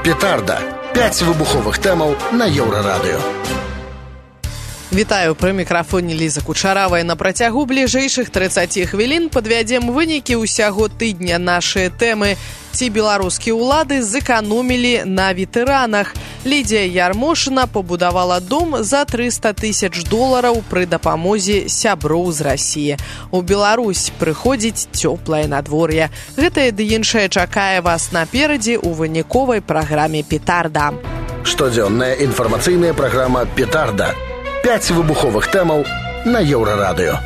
Петарда. 5 выбуховых тэмаў на Еўрарадыё. Вітаю, пры мікрафоне Ліза Кучаравая. На працягу бліжэйшых 30 хвілін падвядзем вынікі ўсяго тыдня. Нашыя тэмы: ці беларускія ўлады зэканомілі на ветэранах. Лідія Ярмошына пабудавала дом за $300,000 пры дапамозе сяброў з Расіі. У Беларусь прыходзіць цёплае надвор'е. Гэтае ды іншае чакае вас наперадзе ў выніковай праграме «Петарда». Штодзённая інфармацыйная праграма «Петарда». 5 выбуховых тэмаў на Еўрарадыё.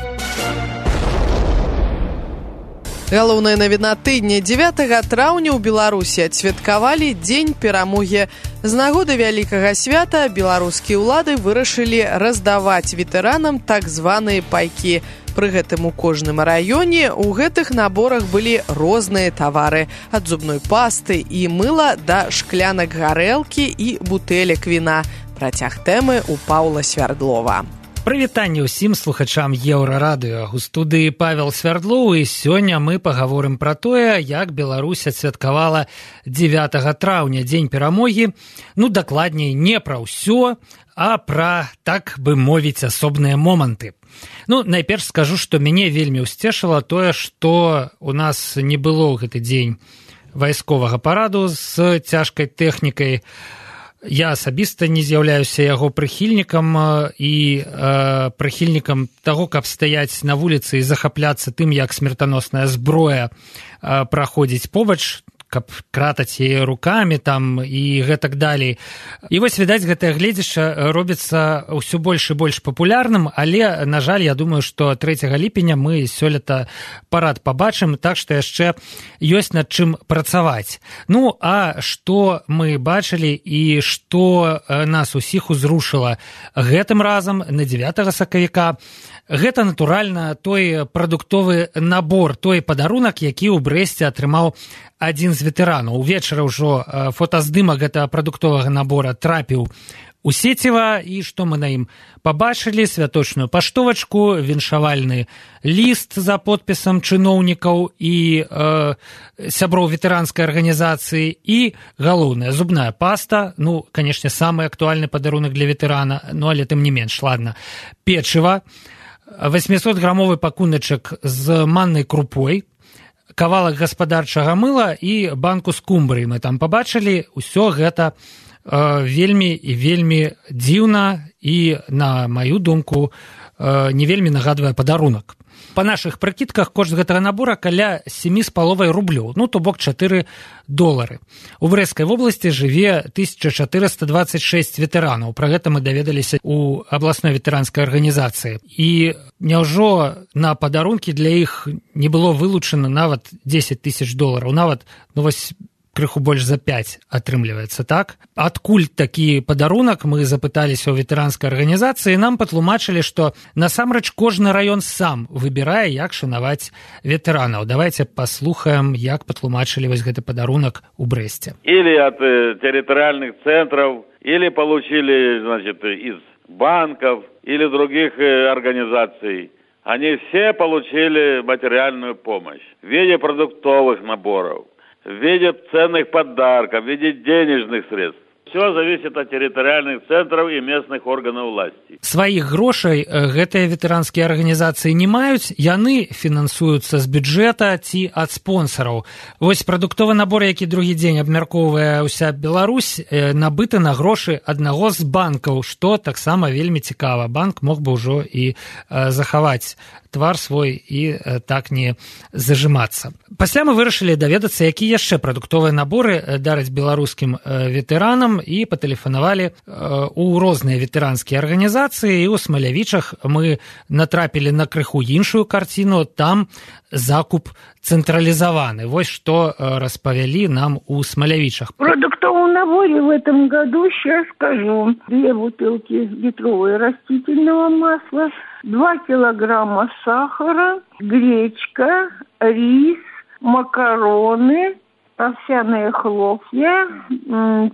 Галоўная навіна тыдня. 9 траўня ў Беларусі адсвяткавалі Дзень перамогі. З нагоды вялікага свята беларускія ўлады вырашылі раздаваць ветэранам так званыя пайкі. Пры гэтым у кожным раёне ў гэтых наборах былі розныя тавары. Ад зубной пасты і мыла да шклянак гарэлкі і бутэлек віна. Працяг тэмы у Паўла Свярдлова. Прывітанне ўсім слухачам Еўрарадыё. У студыі Павел Свярдлоў, і сёння мы пагаворым пра тое, як Беларусь адсвяткавала 9 траўня, Дзень перамогі. Дакладней, не пра ўсё, а пра, так бы мовіць, асобныя моманты. Найперш скажу, што мяне вельмі ўсцешыла тое, што у нас не было ў гэты дзень вайсковага параду з цяжкай тэхнікай. Я асабіста не з'яўляюся яго прыхільнікам і прыхільнікам таго, каб стаяць на вуліцы і захапляцца тым, як смертаносная зброя праходзіць побач, каб кратаць яе рукамі там і гэтак далей. І вось, відаць, гэтае гледзішча робіцца ўсё больш і больш папулярным, але, на жаль, я думаю, што 3 ліпеня мы сёлета парад пабачым, так што яшчэ ёсць над чым працаваць. А што мы бачылі і што нас усіх узрушыла гэтым разам на 9 сакавіка, гэта, натуральна, той прадуктовы набор, той падарунак, які ў Брэсце атрымаў адзін з ветэранаў. Увечары ўжо фотаздымак гэтага прадуктовага набора трапіў у сеціва, і што мы на ім пабачылі? Святочную паштовачку, віншавальны ліст за подпісам чыноўнікаў і сяброў ветэранскай арганізацыі, і галоўная зубная паста, канешне, самы актуальны падарунак для ветэрана, але тым не менш, ладно, печыва, 800-грамовы пакуначак з маннай крупой, кавалак гаспадарчага мыла і банку скумбрыі мы там пабачылі. Усё гэта вельмі і вельмі дзіўна і, на маю думку, не вельмі нагадвае падарунак. Па нашых прыкідках кошт гэтага набора каля 7,5 рублёў, то бок $4. У Брэсцкай вобласці жыве 1426 ветэранаў. Пра гэта мы даведаліся ў абласной ветэранскай арганізацыі. І няўжо на падарункі для іх не было вылучана нават $10,000, нават, крыху больш за 5 атрымліваецца, так? Адкуль такі падарунак, мы запыталіся ў ветэранскай арганізацыі, нам патлумачылі, што насамрэч кожны раён сам выбірае, як шанаваць ветэранаў. Давайте паслухаем, як патлумачылі вось гэты падарунак у Брэсце. Или от территориальных центров, или получили, из банков, или других организаций. Они все получили материальную помощь в виде продуктовых наборов, в виде ценных подарков, в виде денежных средств. Все зависит от территориальных центров и местных органов власти. Сваіх грошай гэтыя ветэранскія арганізацыі не маюць, яны фінансуюцца з бюджэта ці ад спонсараў. Вось прадуктовы набор, які другі дзень абмяркоўвае ўся Беларусь, набыты на грошы аднаго з банкаў, што таксама вельмі цікава. Банк мог бы ўжо і захаваць твар свой і так не зажимацца. Пасля мы вырашылі даведацца, якія яшчэ прадуктовыя наборы дараць беларускім ветэранам, і патэлефанавалі ў розныя ветэранскія арганізацыі, і ў Смалявічах мы натрапілі на крыху іншую карціну, там закуп централизованы. Вот что распавялі нам у Смалявичах. В продуктовом наборе в этом году, сейчас скажу, 2 бутылки литровой растительного масла, 2 килограмма сахара, гречка, рис, макароны, овсяные хлопья,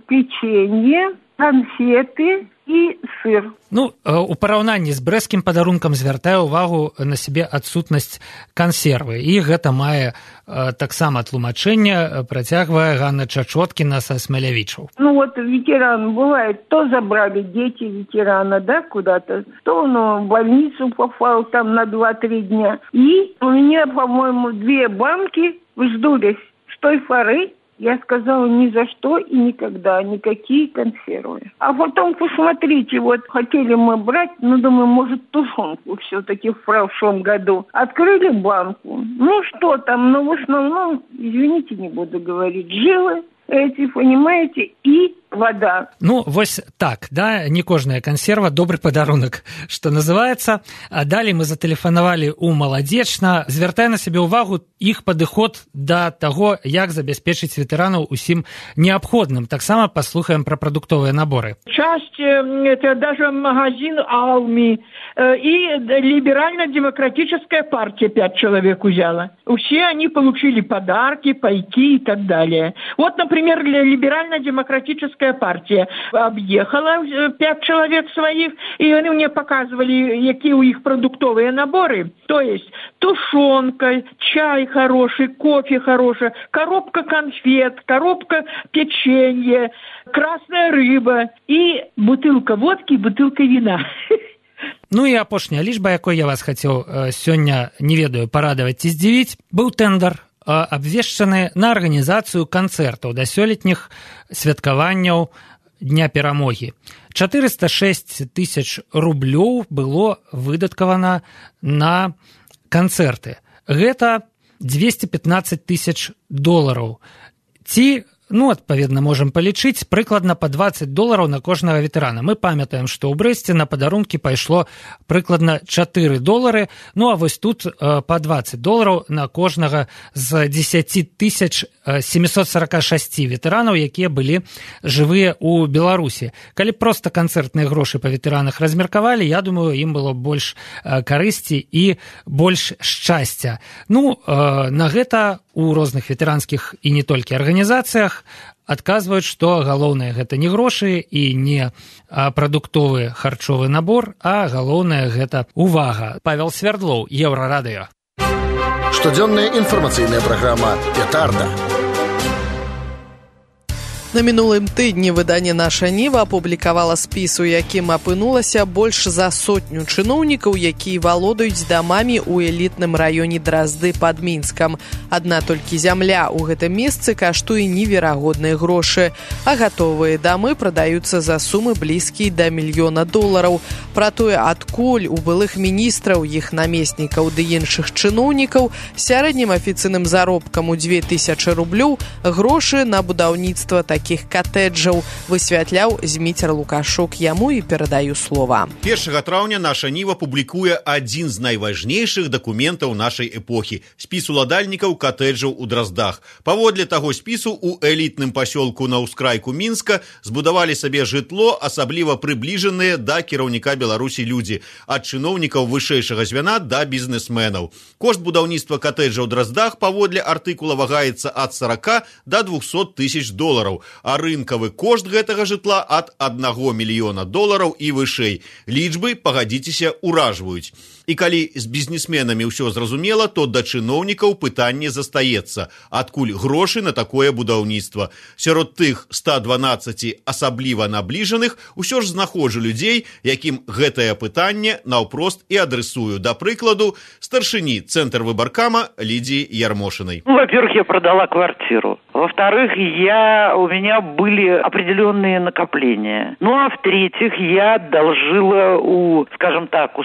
печенье, конфеты, и сыр. Ну, у параўнанні з брэсцкім падарункам звяртаю ўвагу на сябе адсутнасць кансервы. І гэта мае таксама тлумачэнне, працягвае Ганна Чачоткіна са Смалявічаў. Ну вот ветеран бывает, то забрали дети ветерана, да, куда-то, то он в больницу попал там на 2-3 дня. И у меня, по-моему, 2 банки вздулись с той поры. Я сказала, ни за что и никогда, никакие консервы. А потом, посмотрите, вот хотели мы брать, ну, думаю, может, тушенку все-таки в прошлом году. Открыли банку. Ну, что там, ну, в основном, извините, не буду говорить, жилы эти, понимаете, и вода. Ну, вось так, да, не кожная кансерва, добры падарунак, што называецца. А далей мы зателефанавалі ў Маладзечна, звяртае на сябе ўвагу іх падыход да таго, як забяспечыць ветэранаў усім неабходным. Таксама паслухаем пра прадуктовыя наборы. Часть, это даже магазин «Алми» и либерально-демократическая партия 5 человек взяла. Все они получили подарки, пайки и так далее. Вот, например, либерально-демократическая партия объехала 5 человек своих, и они мне показывали, какие у них продуктовые наборы. То есть тушенка, чай хороший, кофе хороший, коробка конфет, коробка печенья, красная рыба и бутылка водки и бутылка вина. Ну і апошняя лічба, якой я вас хацеў сёння, не ведаю, парадаваць ці здзівіць, быў тэндар, абвешчаны на арганізацыю канцэртаў да сёлетніх святкаванняў Дня перамогі. 406 тысяч рублёў было выдаткавана на канцэрты. Гэта 215 тысяч долараў. Ці, ну, адпаведна, можам палічыць, прыкладна па $20 на кожнага ветэрана. Мы памятаем, што ў Брэсце на падарункі пайшло прыкладна $4. Ну, а вось тут па $20 на кожнага з 10 746 ветэранаў, якія былі жывыя ў Беларусі. Калі проста канцэртныя грошы па ветэранах размеркавалі, я думаю, ім было больш карысці і больш шчасця. Ну, на гэта у розных ветэранскіх і не толькі арганізацыях адказваюць, што галоўнае гэта не грошы і не прадуктовы харчовы набор, а галоўнае гэта увага. Павел Свердлоў, Еўрарадыё. Штодзённая інфармацыйная праграма «Петарда». На мінулым тыдні выданне «Наша Ніва» апублікавала спіс, у якім апынулася больш за 100 чыноўнікаў, якія валодаюць дамамі ў элітным раёне Дразды пад Мінскам. Адна толькі зямля ў гэтым месцы каштуе неверагодныя грошы, а гатовыя дамы прадаюцца за сумы блізкія да $1 мільёна. Пра тое, адкуль у былых міністраў, іх намеснікаў ды іншых чыноўнікаў сярэднім афіцыйным заробкам у 2000 рублёў грошы на будаўніцтва такіх катэджаў, высвятляў Зміцер Лукашук. Яму і перадаю слова. 1 траўня «Наша Ніва» публікуе адзін з найважнейшых дакументаў нашай эпохі – спіс уладальнікаў катэджаў у Драздах. Паводле таго спісу у элітным пасёлку на ўскрайку Мінска збудавалі сабе жытло, асабліва прыбліжаныя да кіраўніка Беларусі людзі, ад чыноўнікаў вышэйшага звяна да бізнесменаў. Кошт будаўніцтва катэджа ў Драздах паводле артыкула вагаецца ад 40 да 200 тысяч долараў, а рынкавы кошт гэтага жытла ад $1 мільёна і вышэй. Лічбы, пагадзіцеся, уражваюць. І калі з бізнесменамі ўсё зразумела, то да чыноўнікаў пытанне застаецца. Адкуль грошы на такое будаўніцтва? Сярод тых 112 асабліва набліжаных усё ж знаходжу людзей, якім гэтае пытанне наўпрост і адресую. Да прыкладу, старшыні Цэнтр выбаркама Лидии Ярмошиной. Во-первых, я продала квартиру. Во-вторых, у меня были определенные накопления. Ну, а в-третьих, я одолжила у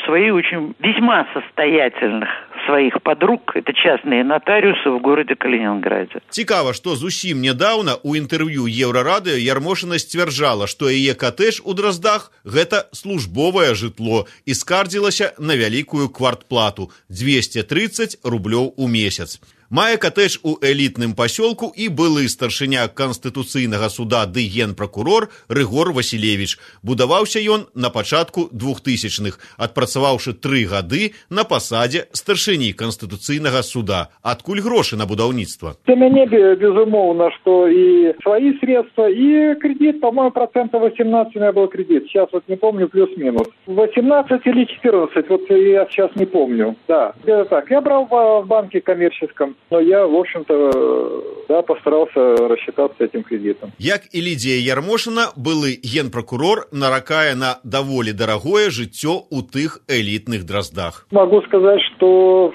своих очень весьма состоятельных своих подруг, это частные нотариусы в городе Калининграде. Цікава, што зусім нядаўна у інтэрв'ю Еўрарадыё Ярмошина сцвярджала, што яе катэдж у Драздах – гэта службовае жытло і скардзілася на вялікую квартплату – 230 рублёў у месяц. Мае катэдж у элітным пасёлку і былы старшыня Канстытуцыйнага суда ды генпракурор Рыгор Васілевіч. Будаваўся ён на пачатку 2000-х, адпрацаваўшы 3 гады на пасадзе старшыні Канстытуцыйнага суда. Адкуль грошы на будаўніцтва? Для мяне, безумоўна, што і свои средства, и кредит, по-моему, 18% у меня был кредит. Сейчас вот не помню, плюс-минус. 18 или 14, вот я сейчас не помню. Да, где-то так. Я брал в банке коммерческом, но я, в общем-то, да, постарался рассчитаться этим кредитом. Як і Лідія Ярмошина, былы генпракурор наракае на даволі дарагое жыццё у тых элітных дроздах. Могу сказать, что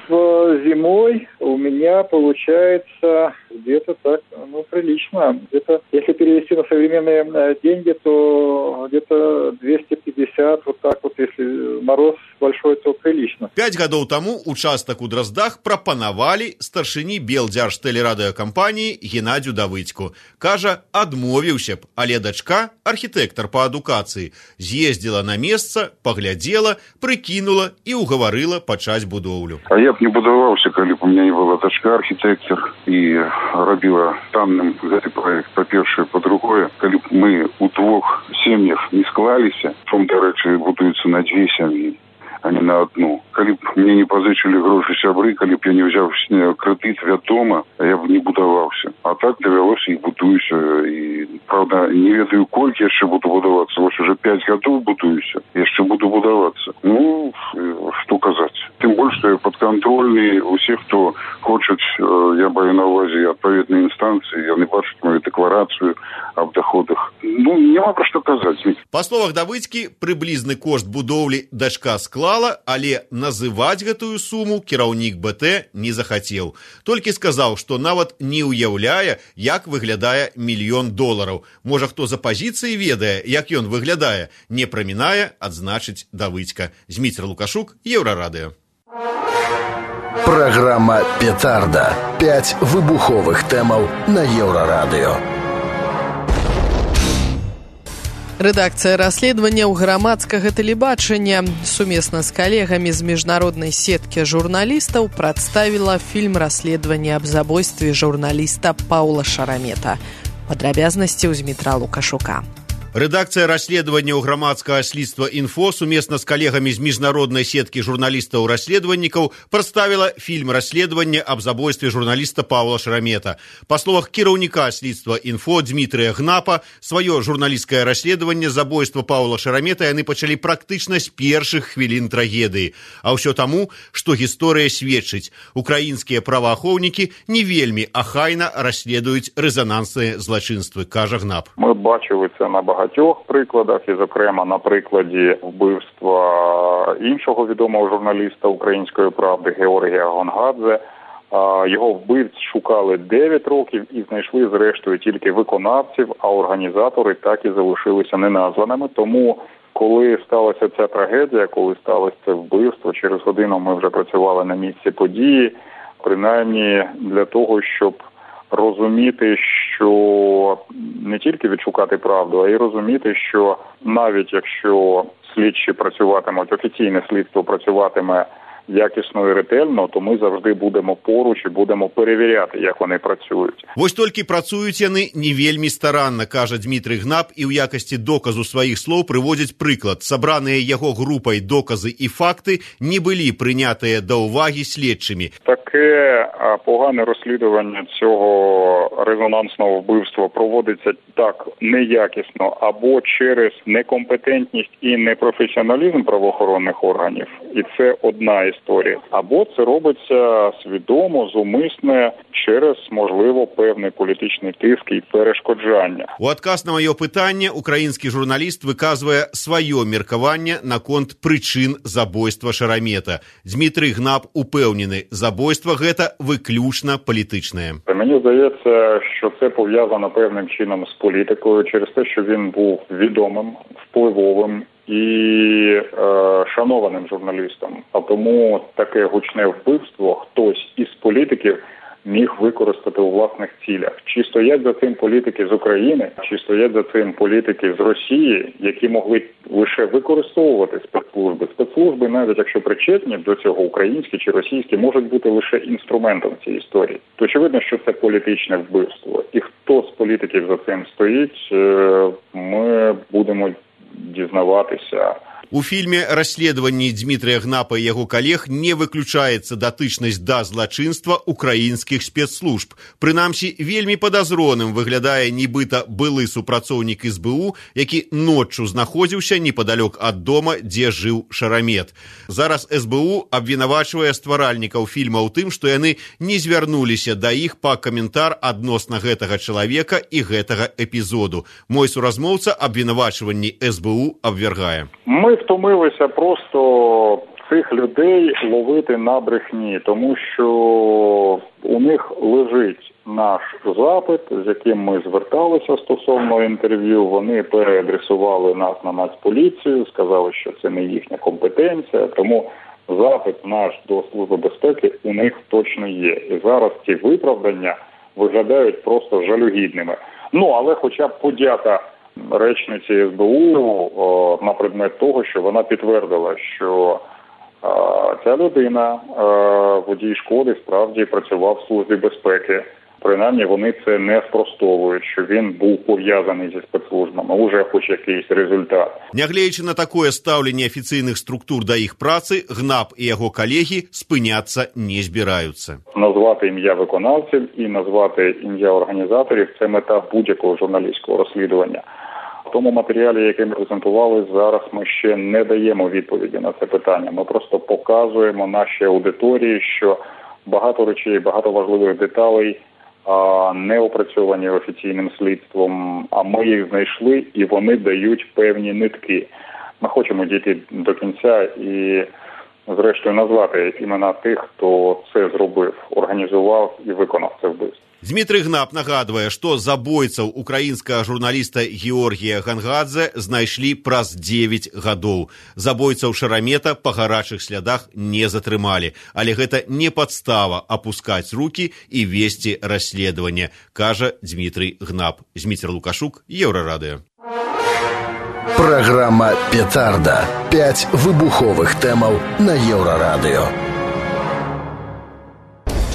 зимой у меня получается где-то так, прилично. Где-то, если перевести на современные деньги, то где-то 250, вот так вот, если мороз большой, то прилично. 5 гадоў таму участак у Дроздах прапанавалі старшыні Белдзяржтэлерадыёкампаніі Геннадзю Давыдзьку. Кажа, адмовіўся б, але дачка, архітэктар па адукацыі, з'ездзіла на месца, паглядзела, прыкінула і угаварыла пачаць будоўлю. А я б не будаваўся, калі б у меня не была дачка, архітэктар, і рабіла танным гэты проект, па-першае, па-другое, калі б мы у 2 сем'ях не склаліся, чом, дарэчы, будуецца на 2 сям'і, а не на 1. Калі б мне не пазычылі грошы сябры, калі б я не ўзяў крэдыт, вядома, я б не будаваўся. А так давялося і будуюся. І, правда, не ведаю, колькі яшчэ буду будавацца. Вось уже 5 гадоў будуюся, яшчэ буду будавацца. Што казаць. Тым больш, што я падкантрольны. Усе, хто хочуць, я маю на ўвазе адпаведныя інстанцыі, яны бачаць мою дэкларацыю аб доходах. Няма пра што казаць. Па словах Давыдзькі, прыблізны кошт будоўлі дачка склала, але называць гэтую суму кіраўнік БТ не захацеў. Толькі сказаў, што нават не ўяўляе, як выглядае $1 мільён. Можа, хто за пазіцыі ведае, як ён выглядае, не прамінае адзначыць Давыдзька. Зміцер Лукашук, Еўрарадыё. Праграма «Петарда». 5 выбуховых тэмаў на Еўрарадыё. Рэдакцыя расследавання ў грамадскага тэлебачання сумесна з калегамі з міжнароднай сеткі журналістаў прадставіла фільм расследавання аб забойстве журналіста Паўла Шарамета. Падрабязнасці ў Змітра Лукашука. Рэдакцыя расследавання ў грамадскага слідства «Інфо» сумесна з калегамі з міжнароднай сеткі журналістаў-расследавальнікаў прадставіла фільм расследавання аб забойстве журналіста Паўла Шарамета. Па словах кіраўніка слідства «Інфо» Дмітрыя Гнапа, сваё журналісцкае расследаванне забойства Паўла Шарамета яны пачалі практычна з першых хвілін трагедыі. А ўсё таму, што гісторыя сведчыць, украінскія праваахоўнікі не вельмі ахайна расследуюць рэзанансныя злачынствы, кажа Гнап. Мы бачили це на багатьох прикладах, і, зокрема, на прикладі вбивства іншого відомого журналіста «Української правди» Георгія Гонгадзе. Його вбивць шукали 9 років і знайшли, зрештою, тільки виконавців, а організатори так і залишилися неназваними. Тому, коли сталася ця трагедія, коли сталося це вбивство, через годину ми вже працювали на місці події, принаймні для того, щоб розуміти, що не тільки відшукати правду, а й розуміти, що навіть якщо слідчі працюватимуть, офіційне слідство працюватиме якісно і ретельно, то ми завжди будемо поруч і будемо перевіряти, як вони працюють. Вось толькі працуюць яны не вельмі старанна, кажа Дмітрый Гнап, і ў якасці доказу сваіх слоў прыводзіць прыклад. Сабраныя яго групай доказы і факты не былі прынятыя да ўвагі следчымі. Таке погане розслідування цього резонансного вбивства проводиться так неякісно або через некомпетентність і непрофесіоналізм правоохоронних органів. І це одна історія. Або це робиться свідомо, зумисне, через, можливо, певний політичний тиск і перешкоджання. У адказ на маё пытанне украінскі журналіст выказвае сваё меркаванне наконт прычын забойства Шарамета. Дмітрый Гнап упэўнены, забойства гэта выключна палітычнае. Мені здається, що це пов'язано певним чином з політикою, через те, що він був відомим, впливовим і шанованим журналістом. А тому таке гучне вбивство хтось із політиків міг використати у власних цілях. Чи стоять за цим політики з України, чи стоять за цим політики з Росії, які могли лише використовувати спецслужби. Спецслужби, навіть якщо причетні до цього, українські чи російські, можуть бути лише інструментом цієї історії. То очевидно, що це політичне вбивство. І хто з політиків за цим стоїть, ми будемо дізнаватися. У фільме «Расследаванні» Дмітрія Гнапа і яго калег не выключаецца датычнасць да злачынства украінскіх спецслужб. Прынамсі, вельмі падазроным выглядае нібыта былы супрацоўнік СБУ, які ноччу знаходзіўся непадалёк ад дома, дзе жыў Шарамет. Зараз СБУ абвінавачвае стваральнікаў фільма ў тым, што яны не звярнуліся да іх па каментар адносна гэтага чалавека і гэтага эпізоду. Мой суразмоўца абвінавачванні СБУ абвяргае. Ми втомилися просто цих людей ловити на брехні, тому що у них лежить наш запит, з яким ми зверталися стосовно інтерв'ю. Вони переадресували нас на Нацполіцію, сказали, що це не їхня компетенція, тому запит наш до Служби безпеки у них точно є. І зараз ці виправдання виглядають просто жалюгідними. Але хоча б подяка речниці СБУ на предмет того, що вона підтвердила, що ця людина, водій Шкоди, справді працював в Службі безпеки. Принаймні вони це не спростовують, що він був пов'язаний зі спецслужбами. Уже хоч якийсь результат. Нягледзячы на такое стаўленне афіцыйных структур да іх працы, Гнап і яго калегі спыняцца не збіраюцца. Назвати ім'я виконавців і назвати ім'я організаторів – це мета будь-якого журналістського розслідування. В тому матеріалі, який ми презентували, зараз ми ще не даємо відповіді на це питання. Ми просто показуємо нашій аудиторії, що багато речей, багато важливих деталей не опрацьовані офіційним слідством, а ми їх знайшли, і вони дають певні нитки. Ми хочемо дійти до кінця і, зрештою, назвати імена тих, хто це зробив, організував і виконав це вбивство. Дмітрий Гнап нагадвае, што забойцаў украінскага журналіста Георгія Гангадзе знайшлі праз 9 гадоў. Забойцаў Шарамета па гарачых слядах не затрымалі, але гэта не падстава апускаць рукі і весці расследаванне, кажа Дмітрий Гнап. Зміцер Лукашук, Еўрарадыё. Праграма «Петарда». 5 выбуховых тэмаў на Еўрарадыё.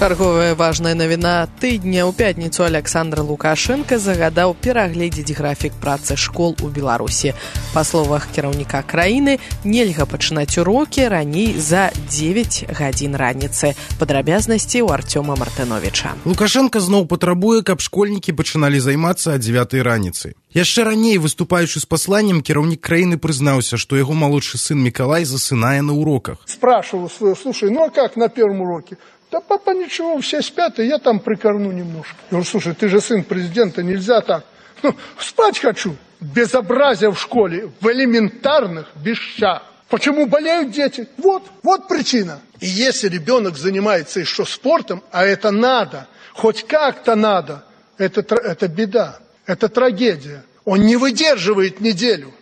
Чарговая важная навіна тыдня. У пятніцу Александр Лукашенко загадаў перагледзець графік працы школ у Беларусі. Па словах кіраўніка краіны, нельга пачынаць урокі раней за 9 гадзін раніцы. Падрабязнасці ў Артёма Мартыновіча. Лукашенко зноў патрабуе, каб школьнікі пачыналі займацца о 9 раніцы. Яшчэ раней, выступаючы з пасланнем, кіраўнік краіны прызнаўся, што яго малодшы сын Миколай засынае на уроках. Спрашивал своего: слушай, а как на первом уроке? Да папа, ничего, все спят, и я там прикорну немножко. Я говорю: слушай, ты же сын президента, нельзя так. Спать хочу. Безобразие в школе, в элементарных вещах. Почему болеют дети? Вот причина. И если ребенок занимается еще спортом, а это надо, хоть как-то надо, это беда, это трагедия. Он не выдерживает неделю.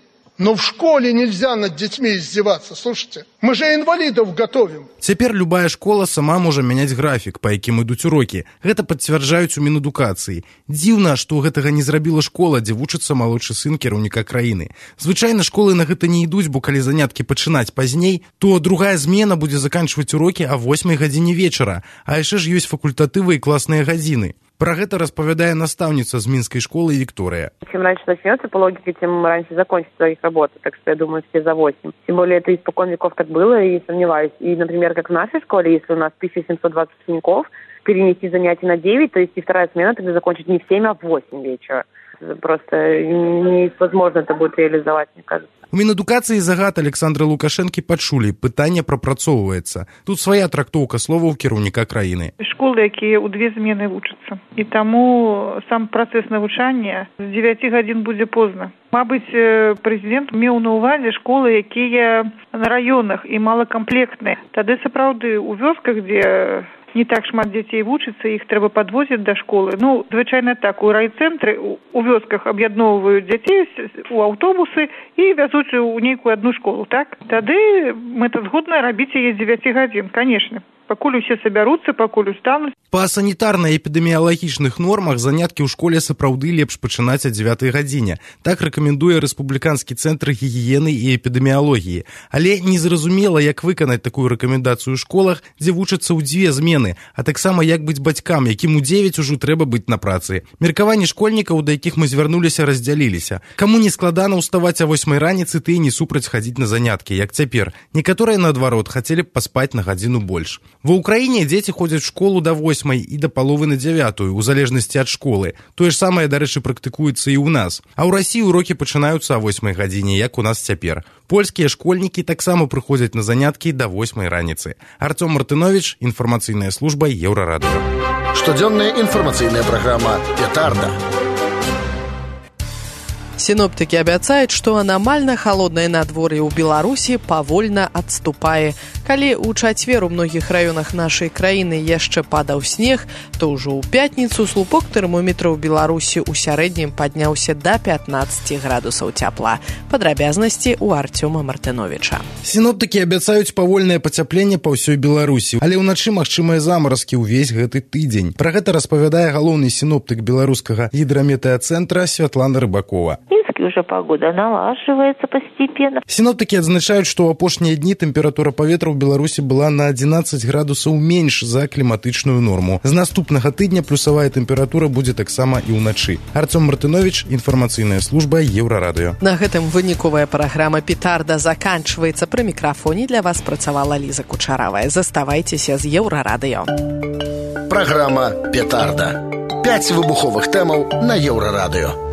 Но в школе нельзя над детьми издеваться, слушайте. Мы же инвалидов готовим. Цяпер любая школа сама можа мяняць графік, па якім ідуць урокі. Гэта пацвярджаюць у Мінэдукацыі. Дзіўна, што гэтага не зрабіла школа, дзе вучыцца малодшы сын кіраўніка краіны. Звычайна школы на гэта не ідуць, бо калі заняткі пачынаць пазней, то другая змена будзе заканчваць урокі о 8 гадзіне вечара, а яшчэ ж ёсць факультатывы і класныя гадзіны. Про гэта распавядае настаўніца з мінскай школы Виктория. Чем раньше начнется, по логике, тем раньше закончится их работа. Так что я думаю, все за 8. Тем более это испокон веков так было, и сомневаюсь. И, например, как в нашей школе, если у нас 1720 учеников, перенести занятия на 9, то есть и вторая смена тогда закончить не в 7, а в 8 вечера. Просто невозможно это будет реализовать, мне кажется. У Мінэдукацыі загад Александра Лукашэнкі пачулі, пытанне прапрацоўваецца. Тут свая трактоўка словаў кіраўніка краіны. Школы, якія ў 2 змены вучацца. І таму сам працэс навучання з 9 гадзін будзе позна. Мабыць, прэзідэнт меў на ўвазе школы, якія на раёнах і малакамплектныя. Тады сапраўды ў вёсках, дзе не так шмат дзяцей вучыцца, іх трэба падвозіць да школы. Звычайна так, у райцэнтры, у вёсках аб'ядноўваюць дзяцей у аўтобусы і вязуць у нейкую адну школу, так? Тады мэта згодна рабіць яе з 9 гадзін, канешне. Пакуль усе сабяруцца, пакуль устануць. Па санітарна-эпідэміялагічных нормах заняткі ў школе сапраўды лепш пачынаць о 9 гадзіне. Так рэкамендуе Рэспубліканскі цэнтр гігіены і эпідэміялогіі. Але незразумела, як выканаць такую рэкамендацыю ў школах, дзе вучацца ў 2 змены, а таксама як быць бацькам, якім у 9 ужо трэба быць на працы. Меркаванні школьнікаў, да якіх мы звярнуліся, раздзяліліся. Каму не складана ўставаць о 8 раніцы, ты не супраць хадзіць на заняткі, як цяпер. Некаторыя, наадварот, хацелі б паспаць на гадзіну больш. Ва ўкраіне дзеці ходзяць у школу да 8 і да паловы на 9, у залежнасці ад школы. Тое ж самае, дарэчы, практыкуецца і ў нас. А ў Расіі урокі пачынаюцца о 8 гадзіне, як у нас цяпер. Польскія школьнікі таксама прыходзяць на заняткі да 8 раніцы. Артём Мартынович, інфармацыйная служба Еўрарадыё. Штодзённая інфармацыйная праграма «Петарда». Синоптики обяцаюць, што анамальна халоднае надвор'е ў Беларусі павольна адступае. Калі ў чацвер у многіх раёнах нашай краіны яшчэ падаў снег, то ўжо ў пятніцу слупок тэрмометра ў Беларусі ў сярэднім падняўся да 15 градусаў цяпла. Падрабязнасці ў Артёма Мартыновича. Синоптики абяцаюць павольнае пацяпленне па ўсёй Беларусі, але ўначы магчымыя замаразкі ўвесь гэты тыдзень. Пра гэта распавядае галоўны синоптик беларускага гідраметэацэнтра Святлана Рыбакова. Уже погода налаживается постепенно. Синоптики адзначаюць, што ў апошнія дні тэмпература паветра ў Беларусі была на 11 градусаў менш за кліматычную норму. З наступнага тыдня плюсавая тэмпература будзе таксама і ўначы. Артём Мартынович, інфармацыйная служба Еўрарадыё. На гэтым выніковая праграма «Петарда» заканчваецца. Пры мікрафоне для вас працавала Ліза Кучаравая. Заставайцеся з Еўрарадыё. Праграма «Петарда». 5 выбуховых тэмаў на Еўрарадыё.